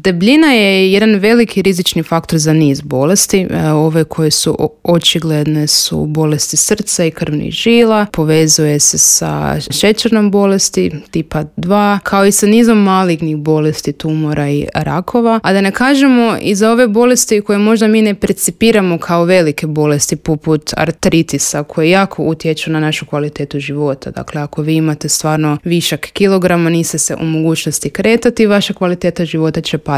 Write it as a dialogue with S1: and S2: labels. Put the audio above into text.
S1: Debljina je jedan veliki rizični faktor za niz bolesti. Ove koje su očigledne su bolesti srca i krvnih žila, povezuje se sa šećernom bolesti tipa 2, kao i sa nizom malignih bolesti, tumora i rakova. A da ne kažemo i za ove bolesti koje možda mi ne percipiramo kao velike bolesti, poput artritisa, koje jako utječu na našu kvalitetu života. Dakle, ako vi imate stvarno višak kilograma, niste se u mogućnosti kretati, vaša kvaliteta života će padati.